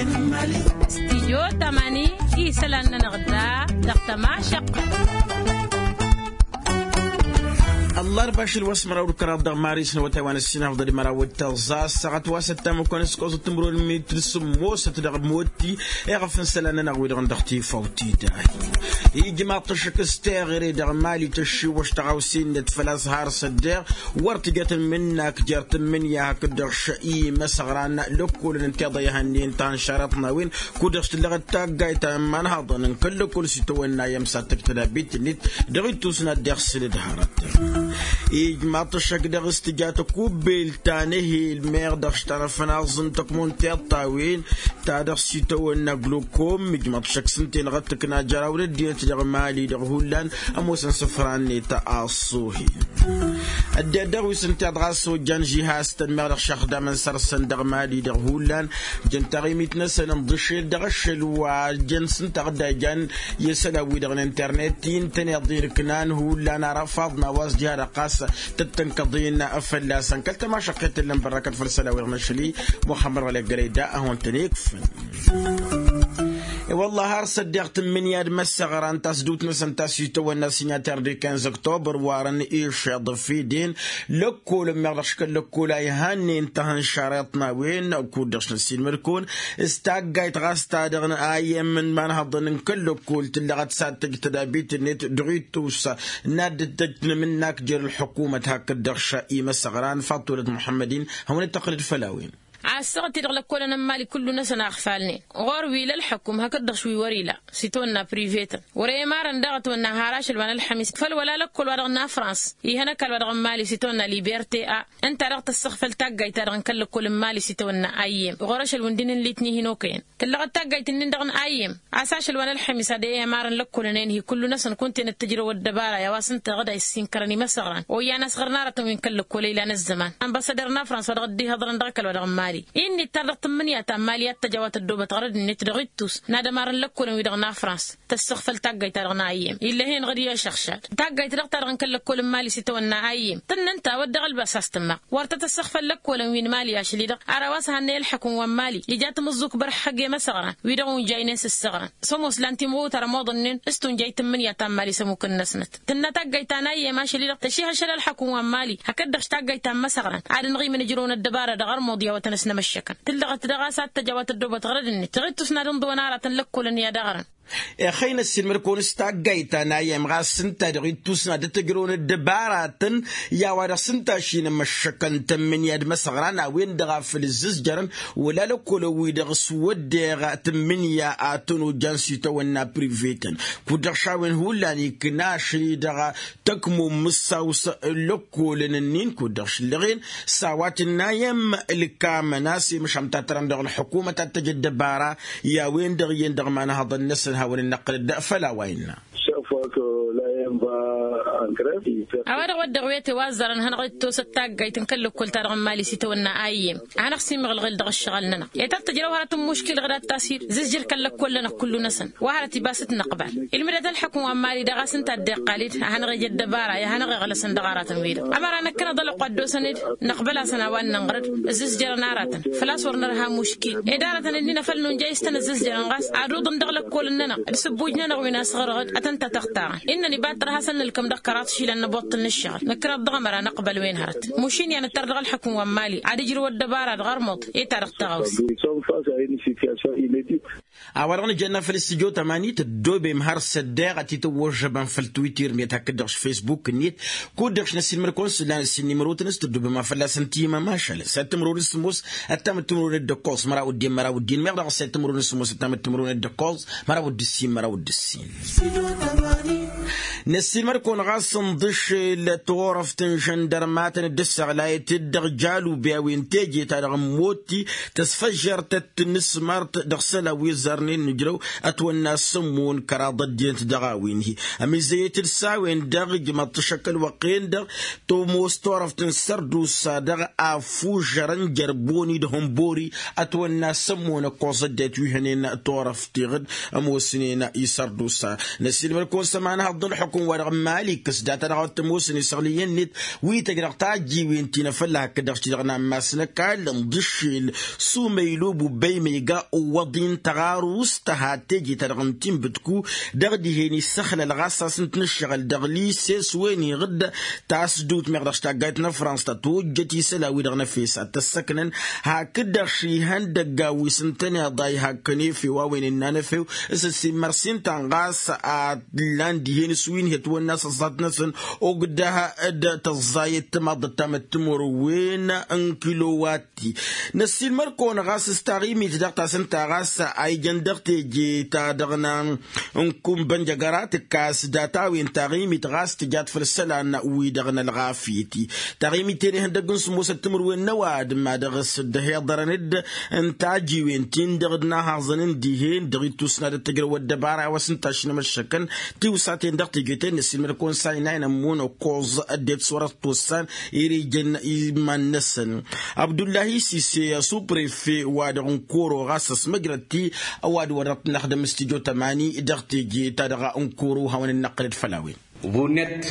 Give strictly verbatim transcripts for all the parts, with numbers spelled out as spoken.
Stijyo tamani isălan-nănăɣ da dăɣ-tămašăqqăt. Ăllarba ašăl wa s-măraw d-kăraḍ dăɣ-maris n-awătay wa n-ăssinafḍăd măraw d-tăẓẓa ăssaɣăt wa s-ăttamăkon s-kăwăẓăt timrun n-imitǝl sǝmmosăt dăɣ-motti. Iɣăf n-isălan-nănăɣ wi-dăɣ n-dăɣ-tifawt-i-ta ijmaḍ-t ăššăk s-teɣăre dăɣ-mali tăššiwăš tăɣawse-net făl-a-s har s-ăddeɣ wăr tǝjăt n-imǝnnak jer-tǝmmǝnǝya hakd-dăɣ š-imăsăɣran lăkkolăn n-tiḍa ihănnen ta n-šarăṭ n-a-wen kud-dăɣ s-tǝllăɣăt taggayt ta n-imanhaḍăn n-kăl-lăkkol s-itawănna i-ămsat tăjtădabit-net dăɣ-ittus n-ad-deɣ sǝlǝd hărăt. Ijmaḍ-t ăššăk dăɣ-s tǝja tăkubbelt ta n-ehel meɣ dăɣ-s tanăfnaẓ n-tăkmon tiḍt a-wen ta dăɣ-s itawănna glukom ijmaḍ-t ăššăk s-ǝnta-enăɣ ăttăkna jer-awăn ăddinăt dăɣ-mali dăɣ-hullan ămoosăn isǝfra-net a ăṣṣuhi. Ăddinăt dăɣ-wi s-ǝnta-i-dăɣ a-s ojjan žihastăn meɣ dăɣ-išăxdamăn săr-săn dăɣ-mali dăɣ-hullan jăn taɣimit-năsăn ǝnḍǝšel dăɣ-ašăl wa jăn s-ǝnta a dd-ăjăn i-isălan-wi-dăɣ n-internet-i ǝntăneḍ-in ǝknan hullan arăfaḍ n-a-wa s-diha-dăɣ ɣas tăt-tănkăḍ-in fălla-săn kăl-tămašăqqet tǝllăn bărrăkăt făll-isălan-wi-dăɣ n-ašăl-i muxămmăd ɣălek gărăy da ad-hawăn-tăn-ikfăn. I-wălla har s-ăddeɣ tǝmmǝnǝya d-imăssăɣran tasdut-năsăn ta s-itawănna signataire du quinze octobre warăn išeḍ fidin lăkkolăn meɣ dăɣ-s kăl-lăkkol a ihannen tahăn šareḍ n-a-wen kud-dăɣ s-năssiilmăd-kăwăn s-taggayt ɣas ta dăɣ-n a i-ămm n-imanhăḍăn n-kăl-lăkkol tǝllăɣăt s-ad-tăj tădabit-net dăɣ-ittus n-ad-dd-tăj tinǝmǝnnak jer-ălḥukumăt hakd-dăɣ š-imăsăɣran faḍt wălăt muḥămmăd-in hawăn-dd-tăqqǝlăd făll-a-wen. A ăssaɣăt-i-dăɣ lăkkolăn n-imali kullu-năsăn a ăɣfalnen ɣur-wi ila ălḥăkum hakd-dăɣ š-wi wăr-ila s-itawănna privetăn wăr-e imarăn daɣ ătwănna har ašăl wa n-ălxămis făll-wăla lăkkol-wa-dăɣ n-afrans ihăn ăkall-wa-dăɣ n-imali s-itawănna liberté a ǝnta-dăɣ tăssăɣfăl taggayt-ta-dăɣ n-kăl-lăkkol n-imali s-itawănna ayyem ɣur-ašăl wi n-dd-inǝllit n-ihin okăyăn tǝllăɣăt taggayt-nin-dăɣ n-ayyem a-s ašăl wa n-ălxămis ad-e-imarăn lăkkolăn-en-hi kullu-năsăn kunta-en ăttăjrăw ăddăbara i-a-wa s-ǝnta dăɣ-dd-a issin kărăn imăsăɣran oyyan a-s ɣărăn aratăn wi n-kăl-lăkkol a ilan ăzzăman ănbăssăder n-afrans wa dăɣ-dd-ihăḍrăn dăɣ-ăkall wa dăɣ-n mali. Innit tar dăɣ-tǝmmǝnǝya ta n-mali i-ad-tăj a-wa tăddoobăt ɣărăd-net dăɣ-ittus n-ad-ămarăn lăkkolăn-wi-dăɣ n-afrans tăssăɣfăl taggayt-ta-dăɣ n-ayyem ill'-e-hen ɣǝd i-ašăɣšad taggayt-dăɣ-ta-dăɣ n-kăl-lăkkol n-mali s-itawănna ayyem tǝnnăn ta wăr dăɣ-ălbas a-s tǝmmaɣ wăr tăt-ăssăɣfăl lăkkolăn wi n-mali ašăl-i-dăɣ ara wa s-hannăy ălḥăkum wa n-mali ija tamǝẓẓuk bărhăɣ i-imăsăɣran wi-dăɣ unjaynen s-ǝssăɣran s-ămoos lan timɣutar ămoḍănnen s-tunjay tǝmmǝnǝya ta n-mali s-ămmukăn-năsnăt tǝnna taggayt ta n-ayyem ašăl-i-dăɣ tăšihăšăl ălḥăkum wa n-mali hakd-dăɣ taggayt ta n-imăsăɣran ad-ănɣimǝn ǝjrăwăn ăddăbara dăɣ-armuḍ i-a-wa tăn-ăsnămăššăkăn tǝllăɣăt dăɣ-a-s ad-tăj a-wa tăddoobăt ɣărăd-net dăɣ-ittus n-ad-ǝnḍǝwăn aratăn lăkkolăn i-ad-aɣrăn. Ixăynăs-in măr-kăwăn-s taggayt ta n-ayyem ɣas s-ǝnta dăɣ-ittus n-ad-dd-tăjrăwăn ăddăbaratăn i-a-wa dăɣ-s ǝnta a-s inămăššăkăn tămmǝnǝya d-imăsăɣran a-wen-dăɣ a făl ǝzzǝzjărăn wăla lăkkolăn-wi-dăɣ s-wădden tǝmmǝnǝya a tăn-ojjan s-itawănna privetăn kud-dăɣ šawen hullan ikna ašăl-i-dăɣ tăkmom mǝssaw s-lăkkolăn-nin kud-dăɣ šǝllăɣen s-a-wa tǝnnayăm ǝlkamăn a-s i-măšan tatărăn dăɣ-ălḥukumăt ad-tăj ăddăbara i-a-wen-dăɣ iyyăn dăɣ-imanhăḍăn-năsăn hawăn-dd-năqqǝlăd făll-a-wa innă. A-wa dăɣ-wăt dăɣ-wete wa ăzzarăn hanăɣ-dd-tosăt taggayt n-kăl-lăkkol-ta-dăɣ n-mali s-itawănna ayyem a hanăɣ-simăɣlăɣel dăɣ-ǝššăɣǝl-nănăɣ i-tăt-tǝjrăw hărăt n-muškil ɣǝdat tasid zǝzjǝr kăl-lăkkol-nănăɣ kullu-năsăn wa hărăt ibas t-năqbal ilmǝdăt ălḥăkum wa n-mali dăɣ-a-s ǝnta a dd-iqqal-ed a hanăɣ-ej ăddăbara i-a hanăɣ-iɣlăsăn dăɣ-aratăn-wi-dăɣ ămăra năkkăneḍ ălwăqq wa dd-osăn-dd năqbăl-asăn a-wa n-nǝnɣăr-dd ǝzzǝzjărăn aratăn făl-a-s wăr nărha muškil ed aratăn ǝnnin a făl nunjăy s-tăn-ǝzzǝzjărăn ɣas ad-uḍǝn dăɣ-lăkkolăn-nănăɣ d-sǝbbuj-nănăɣ wi n-asɣărăɣ-dd ad-tăn-ta tăɣtarăn innă ăniba ad-tărha a-s ănnălkăm dăɣ-kăraḍ išilan n-ăboṭṭǝl n-ǝššăɣǝl năkkăneḍ dăɣ-ămăra năqbăl wen hărăt mušin i-ad-nǝttăr dăɣ-ălḥăkum wa n-mali ad-ǝjrǝw ăddăbara dăɣ-armuḍ i-ta-dăɣ tăɣawse. A-wa-dăɣ nǝjănna făll-s tǝjot ămanit ăddoobem har s-ăddeɣ ad-t-tăwwăžžăbăn făll-twitter-net hakd-dăɣ s-facebook-net kud-dăɣ s-năssiilmăd-kăwăn s-ǝllan ăssin n-imrotăn s-tăddoobem a fălla-săn timămašal s-ad-tǝmrăwăn s-sǝmmos ăttam d-timrăwăn d-ǝkkoẓ măraw d-en măraw d-en meɣ dăɣ-s ad-tǝmrăwăn s-sǝmmos ăttam d-timrăwăn d-ǝkkoẓ măraw d-ǝssin măraw d-ǝssin. Năssiilmăd-kăwăn ɣas ǝnḍǝšel turăft n-žăndărmatăn dd-ǝssăɣlayăt-dd dăɣ-jalube a-wen teje-ta-dăɣ n-motti tăsfăžžăr tăt-tǝnnǝsmărt dăɣ-isălan wi ăzzarnen n-ǝjrăw ătwănna s-ămmun kăraḍ ăddinăt dăɣ-a-wen-hi ămizzăyăt-dd s-a-wen-dăɣ ǝjmăḍ-t ašăk ălwăqq-en-dăɣ tămoos turăft n-sărdusa dăɣ-afužărăn jer-boni d-hănbori ătwănna s-ămmun ăkkoẓ ăddinăt wi hănen turăft tiɣǝd ămoosnen i-sărdusa. Năssiilmăd-kăwăn s-ămanăɣ Ăḍḍăl ălxukǝm-wa-dăɣ n-mali ǝkkǝs data-dăɣ a t-ămoosăn isăɣlǝyăn-net wi tăjrăɣ tajjiwen ti n-afălla hakd-dăɣ-s ti-dăɣ n-ammas n-ăkall n-dd-ǝššel. Sumăylu bubbăy măyga ǝwwăḍ-in tăɣarust tăhat teje-ta-dăɣ n-tinbǝtku dăɣ-dihen issăxlăl ɣas a-s ǝnta n-ǝššăɣǝl dăɣ-lise s-wen iɣǝdda tasdut meɣ dăɣ-s taggayt n-afrans ta tojjăt isălan-wi-dăɣ n-efes ad-t-ăssăknăn. Hakd-dăɣ šihăn dăgg-a-wi s-ǝntăneḍ a ihakkăn efew a-wen ǝnnan efew s-ăssimmărsin-tan ɣas a t-ǝllan dihen s-wi n-hi-ătwănna s-ăẓẓat-năsăn ogdăh d-tăẓẓayăt timaḍăt ta măttămorwen n-kilowat. Năssiilmăr-kăwăn ɣas s-taɣimit dăɣ-ta-s ǝnta ɣas a ijăn dăɣ-teje-ta-dăɣ n-kunbăn jăgăra tǝkkas data-wen taɣimit ɣas tǝjat făll-isălan-wi-dăɣ n-ălɣafyăt-i. Taɣimit-ten ihăndăgg n-sǝmmosăt timǝrwen n-ăwadǝm a dăɣ-s dd-ăhiḍărăn-dd n-tajiwen-tin-dăɣ d-inahaẓăn n-dihen dăɣ-ittus n-ad-ăttăjrăw ăddăbara a-wa s-ǝnta a-s nămăššăkăn tiwsaten dăɣ-teje-ten-năs ilmăd-kăwăn s-a inayăn ămmun ăkkoẓ ăddinăt s-wăr-ăṭṭossăn. Ere ijăn iman-năsăn abdullahi sise asuprefe-wa-dăɣ n-koro ɣas ăsmăjrăt-i ăwadǝm wa dăɣ-t năxdăm s-tijo tămani dăɣ-teje-ta-dăɣ n-koro hawăn-dd-năqqǝlăd făll-a-wen. Vunăt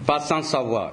pasan sava.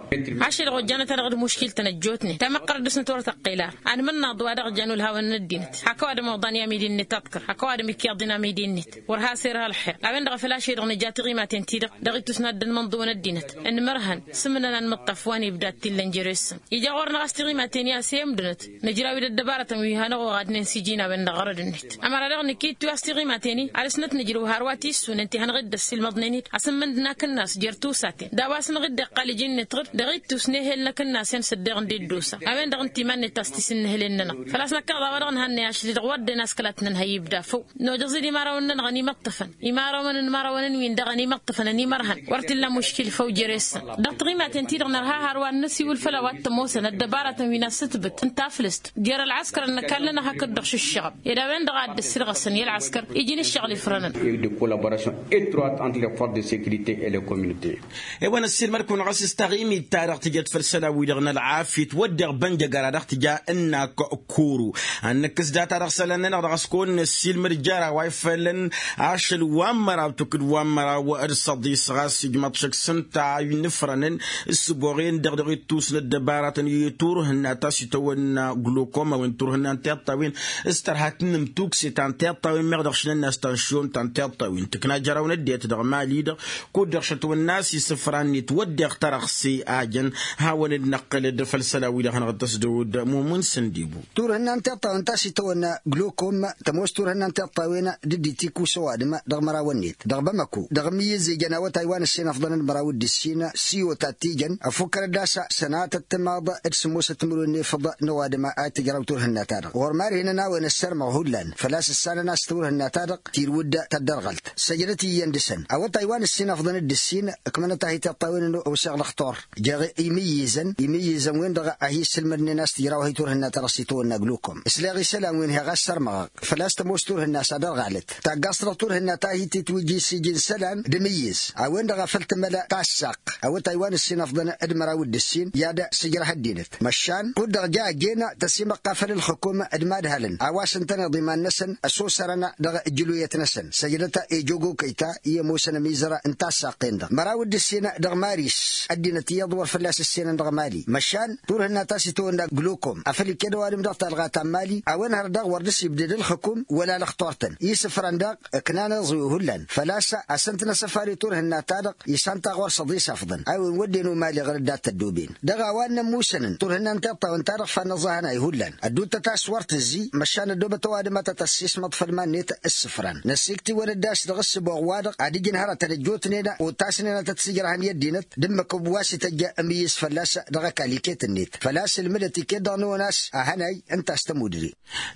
Ašăl ɣojjanăt-a-dăɣ d-muškil-tăn ăjjootnen tamăqqărăt dăɣ-snăt wăr tăqqel ara. Anmănnaḍ wa dăɣ-jan ulhawăn n-ăddinăt hak ăwadǝm oḍan i-amidi-net aḍkăr hak ăwadǝm ikyaḍ-in amidi-net. Wăr has-irha ălxer a-wen-dăɣ a făl ašăl-i-dăɣ nǝja tiɣimaten-ti-dăɣ dăɣ-ittus n-ad-dd-ănmănḍǝwăn ăddinăt. Ǝnmărhăn s-ǝmnăn anmǝṭṭaf wa n-ibda t-illăn jere-săn. Ija ɣur-năɣ a-s tiɣimaten i-asăyămdǝnăt nǝjraw-dd ăddăbarătăn wi hanăɣ-oɣadnen s-iji n-a-wen-dăɣ ɣărăd-net. Ămăra daɣ nǝkittu a-s tiɣimaten-i ad-dăɣ-snăt nǝjrǝw hărwa tissunen ti hanăɣ-dd-ăssilmăḍnen-dd asǝmmǝnd n-akǝnnas jer-tiwsaten d-a-wa s-năɣ-dd-iqqal iji-net ɣǝd dăɣ-ittus n-ehel n-akǝnnasen s-ăddeɣ n-dd-osa a-wen-dăɣ ǝnta iman-net a-s tisǝnnǝhǝlen-nănăɣ. Făl-a-s năkkăneḍ a-wa dăɣ-nǝhannăy ašli-dăɣ wăr dd-en a-s kăla t-nǝnhăy ibda făw. Nojăẓ-dd imărawăn-nănăɣ ănimăṭṭăfăn imărawăn n-imărawăn n-win-dăɣ ănimăṭṭăfăn ănimărhăn wăr t-illa muškil făw jere-săn. Dăɣ-tiɣimaten-ti-dăɣ nărha hărwa ad-năsiwǝl făll-a-wa t-ămoosăn ăddăbarătăn wi n-assǝtbǝt n-taflǝst jer-ălɣăskăr ănnăkall-nănăɣ hakd-dăɣ šǝššăɣăb ed a-wen-dăɣ a dd-ăssirɣăsăn i-ălɣăskăr iji n-ǝššăɣǝl ifrănăn. De collaboration étroite entre les forces de sécurité et les communautés. E-wa n-ăssiilmăd-kăwăn ɣas s-taɣimit-ta-dăɣ tǝjăt făll-isălan-wi-dăɣ n-ălɣafyăt wădden bănjăgăra dăɣ-tǝja ǝnnak kuru ad-nǝkkǝs data-dăɣ isălan-nănăɣ dăɣ-s kăwăn-năssiilmăd jer-a-wa ifălăn ašăl wa n-măraw tukǝd wa n-măraw d-săḍis ɣas ijmaḍ šăkk s-ǝnta a inǝfrănăn. S-ǝboɣen-dăɣ dăɣ-ittus n-ăddăbaratăn i-turhǝnna ta s-itawănna glokoma a-wen turhǝnna n-tiṭṭawen s-tărha tǝnnǝmtukse ta n-tiṭṭawen meɣ dăɣ-šinănna a-s tanšyon ta n-tiṭṭawen tǝkna jăraw n-ăddinăt dăɣ-mali-dăɣ. Kud-dăɣ šătwănna a-s isǝfra-net wădden tărăɣse a jăn hawăn-dd-năqqǝlăd făll-isălan-wi-dăɣ hanăɣ-dd-ăsdăwăd mumun săndibu. Turhǝnna n-tiṭṭawen ta s-itawănna glokoma tămoos turhǝnna n-tiṭṭawen d-dd-itikkus ăwadǝm dăɣ-măraw-net dăɣ-bamăko dăɣ-imǝyyǝz ijăn awătay wa n-ǝssin ăfḍăn d-măraw d-ǝssin s-iwăt ad-t-ijăn ăfukkărăd a-s sănatăt timaḍ d-sǝmmosăt timǝrwen n-efăḍ n-ăwadǝm a itǝjraw turhǝnna-ta-dăɣ ɣur-mad-hin-ănawăn ăssărmăɣ hullan. Făl-a-s ǝssanăn a-s turhǝnna-ta-dăɣ tirwǝd tăddărɣălt săjdăt iyyăn dăɣ-săn awătay wa n-ǝssin ăfḍăn d-ǝssin ǝkmănăt-ahi tiṭṭawen n-useɣ lăxtur jer-imǝyyǝzăn imǝyyǝzăn-wen-dăɣ a hi-issǝlmădnen a-s tǝjraw-hi turhǝnna-ta-dăɣ s-itawănna glukom. S-leɣ isălan-wen heɣ a ăssărmăɣăɣ făl-a-s tămoos turhǝnna s-ad-ărɣalăt taggaẓt-dăɣ turhǝnna ta hi-titwǝjji s-iji n-isălan d-amǝyyǝz a-wen-dăɣ a făl tǝmăl tassaqq awătay wa n-ǝssin ăfḍăn d-măraw d-ǝssin i-ad-sǝjrăh ăddinăt. Măšan kud-dăɣ ja ăjjeen tăsimăqqa făll-ǝlxǝkum d-imadhălăn a-wa s-ǝntăneḍ iman-năsăn ăsosărăn dăɣ-ǝjjǝluyăt-năsăn săjdăt ejogokăy ta i-ămoosăn ămizăr n-tassaqqen-dăɣ măraw d-ǝssin dăɣ-maris ăddinăt iyyăḍ wăr fălla-s ǝssenăn dăɣ-mali. Măšan turhǝnna ta s-itawănna glukom a făl iket ăwadǝm dăɣ-talɣa ta n-mali a-wen hărăt daɣ wăr dăr-s ibded ǝlxǝkum wăla lăxtor-tăn isǝfrăn daɣ ǝknan iẓwi hullan făl-a-s a-s ǝnta n-asăfar i-turhǝnna ta dăɣ-isantaɣ wăr s-ăḍisafḍăn a-wen wădden umali ɣărăt dat-ăddoben dăɣ-a-wa ǝnnăn musănăn turhǝnna n-tiṭṭawăn-ta-dăɣ fannăẓẓahăn a ihullan ădduuttăt a-s wăr tǝzzi. Măšan ăddoobăt ăwadǝm a tăt-ăssismăḍ făll-iman-net ǝssǝfran năssiktǝwăn-dd a-s dăɣ-ǝssǝboɣ-wa-dăɣ ad-ǝjǝn hărătăn ăjjootnen otasnen a tăt-sǝjrăhăn i-ăddinăt d-ǝmmǝk wa s-ităjj amǝyyǝz fălla-s dăɣ-ăkall iket-net făl-a-s ǝlmǝdăt iket-dăɣ n-onas ahănay ǝnta a-s tămudre.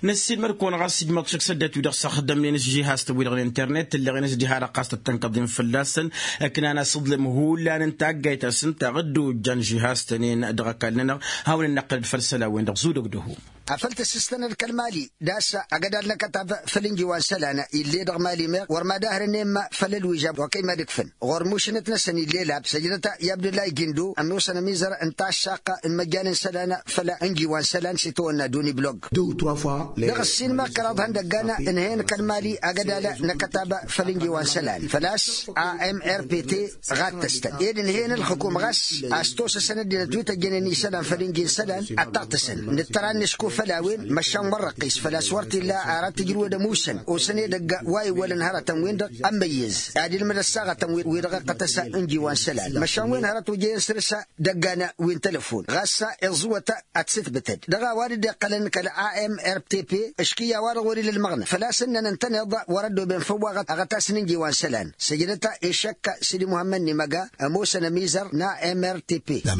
Năssiilmăd-kăwăn ɣas ǝjmăḍ šăkk s-ăddinăt-wi-dăɣ s-ăxdămnen s-žihaz-tăn-wi-dăɣ n-internet tǝlleɣen s-diha-dăɣ ɣas tăt-tănkăḍen fălla-săn. Ǝknan asǝḍlǝm hullan n-taggayt a-s ǝnta a dd-ojjan žihaz-tăn-en dăɣ-ăkall-nănăɣ. Hawăn-dd-năqqǝlăd făll-isălan-wen-dăɣ zudăg dăhu. afăl tǝssǝstănăd kăl-mali d-ass agădal n-akătab făll-inji wa n-isălan ill'-e dăɣ-mali meɣ wăr mad-ahrănen ma făll-ălwižab wa kăy-mad-ǝkfǝn ɣur-mušǝnăt-năsăn ill'-e lab săjdăt i-abdullah igindo ămoosăn ămizăr n-taššaqq n-imăjjan n-isălan făll-inji wa n-isălan s-itawănna duni blog. Dăɣ-ǝssin meɣ kăraḍ ihăndăggan ǝnhăyăn kăl-mali agădal n-akătab făll-inji wa n-isălan făl-a-s a m r p t ɣattăstăn ed ǝnhăyăn ǝlxǝkum ɣas a-s tosăsăn ăddinăt wi tăjjănen isălan făll-inji n-isălan ad-taɣtăsăn. Nǝttăr ad-nǝšku făll-a-wen măšan wăr răqqis făl-a-s wăr t-illa ara t-ǝjrǝwăd ămusăn osăn edăgg wa iwwălăn hărătăn-win-dăɣ ămmăyyăz ad-ilmǝd ăssaɣătăn wi-dăɣ iqqăt-ăsa ǝnji wa n-isălan măšan wen hărăt ojăyăn săr-s dăggan wi n-telăfon ɣas iẓẓǝwăt ad-t-sǝtbǝtăd dăɣ-a-wa dd-iqqălăn kăl-a m r t p. Ǝškǝyya-wa-dăɣ wăr-ila ălmăɣnăt făl-a-s ǝnnăn ǝntăneḍ wăr-ăddooben făw-aɣăt aɣătas n-ǝnji wa n-isălan săjdăt išăkk sidi muhămmăd n-imăga ămoosăn ămizăr n-a m r t p. A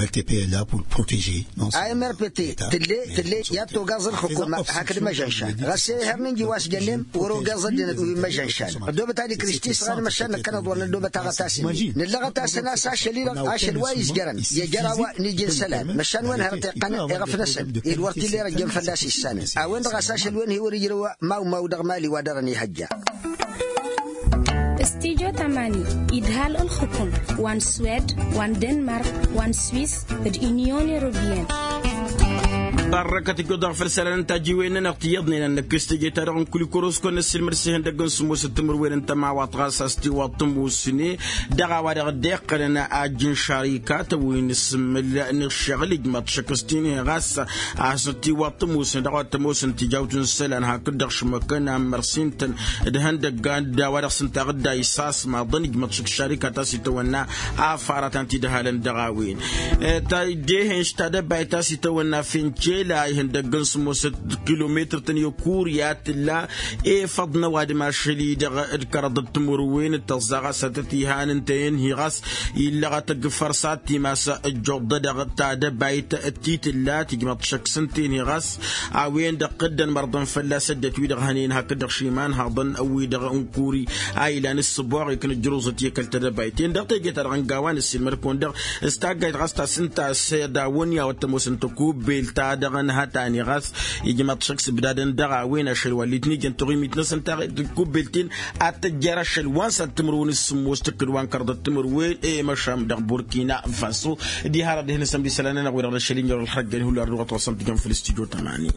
m r p t tǝlle tǝlle i-ad-togaẓ ǝlxǝkum hakd măžănšan ɣas i-ihăr n-ǝnji wa s-jănnen wăr-ogeẓ ăddinăt wi n-măžănšan. Ăddoobăt ad-ikriš tisɣan măšan năkkăneḍ wăr năddoobăt aɣătas-in-i nǝllăɣăt-asăn a-s ašăl-i-dăɣ ašăl wa izjărăn i-ejăr a-wa n-iji n-isălan măšan wen hărăt iqqăn eɣăf-năsăn ed wăr t-illa irăjjăn fălla-s issanăn a-wen-dăɣ a-s ašăl-wen hi-wăr-ijrăw. Mawmaw dăɣ-mali wa dăr-ănihăjja. Stijo tamani idhal ǝlxǝkum wa n-swed wa n-denmark wa n-swis d-inyon europiyăn. Barrăkăt ǝjjoḍ dăɣ-făll-isălan n-tajiwen-nănăɣ tiyyăḍnen ad-năkkes teje-ta-dăɣ n-kulikorosko n-ăssiilmăd s-ihăndăgg n-sǝmmosăt timǝrwen n-tămawaḍt ɣas a-s tiwaḍt tǝmmusne dăɣ-a-wa-dăɣ dd-iqqălăn ajjǝn šarikat wi n-asǝmmǝl n-ǝššăɣǝl ijmăḍ šăkk s-tinhi ɣas a hasnăt tiwaḍt tămoosăn dăɣ-a wa t-ămoosăn tijawt n-isălan hakd-dăɣ šmăkăn ammărsin-tăn d-ihăndăggan d-a-wa dăɣ-s ǝnta aɣǝdday s-asmaḍăn ijmăḍ šăkk šarikat a-s itawănna afara ta n-tidhalăn dăɣ-a-wen. Dehen s-tadăbayt a-s itawănna fencela ihăndăgg n-sămoosăt kilometăr-tăn i-okuri a tǝlla efăḍ n-ăwadǝm ašăl-i-dăɣ d-kăraḍăt timǝrwen d-tăẓẓa ɣas ad-tăt-ihan ǝnta i-ănhi ɣas illăɣăt ăgg-fărsat timas ăjjuḍ-dăɣ tadăbayt ti tǝlla tǝjmăḍ šăkk s-ǝnta i-ănhi ɣas a-wen-dăɣ dd-ănmărḍăn fălla-s ăddinăt-wi-dăɣ hănen hakd-dăɣ šimanhaḍăn wi-dăɣ n-kuri a ilan ǝssǝboɣ iknǝjjăr oẓăt i-kăl-tadăbayt-en dăɣ-teje-ta-dăɣ n-gawa n-ăssiilmăd-kăwăn-dăɣ s-taggayt ɣas ta s-ǝnta a-s d-awăn i-a-wa t-ămoosăn tăkubbelt-ta-dăɣ ănhătani ɣas ijmăḍ šăkk s-ǝbdadăn dăɣ-a-wen ašăl wa ǝllit n-ijăn tuɣimit-năsăn ta tăkubbelt-in ad-tăjjăr ašăl wa n-săd timǝrwen s-sǝmmos tǝkkǝd wa n-kărḍăt timǝrwen i-măšan dăɣ-burkina faso. Diha-dăɣ dihen-năsăn bisălan-nănăɣ wi-dăɣ n-ašăl-in jer-ălxăjjăn hullan dăɣ-wa t-ɣasăn tǝjăn făll-stujo tămani.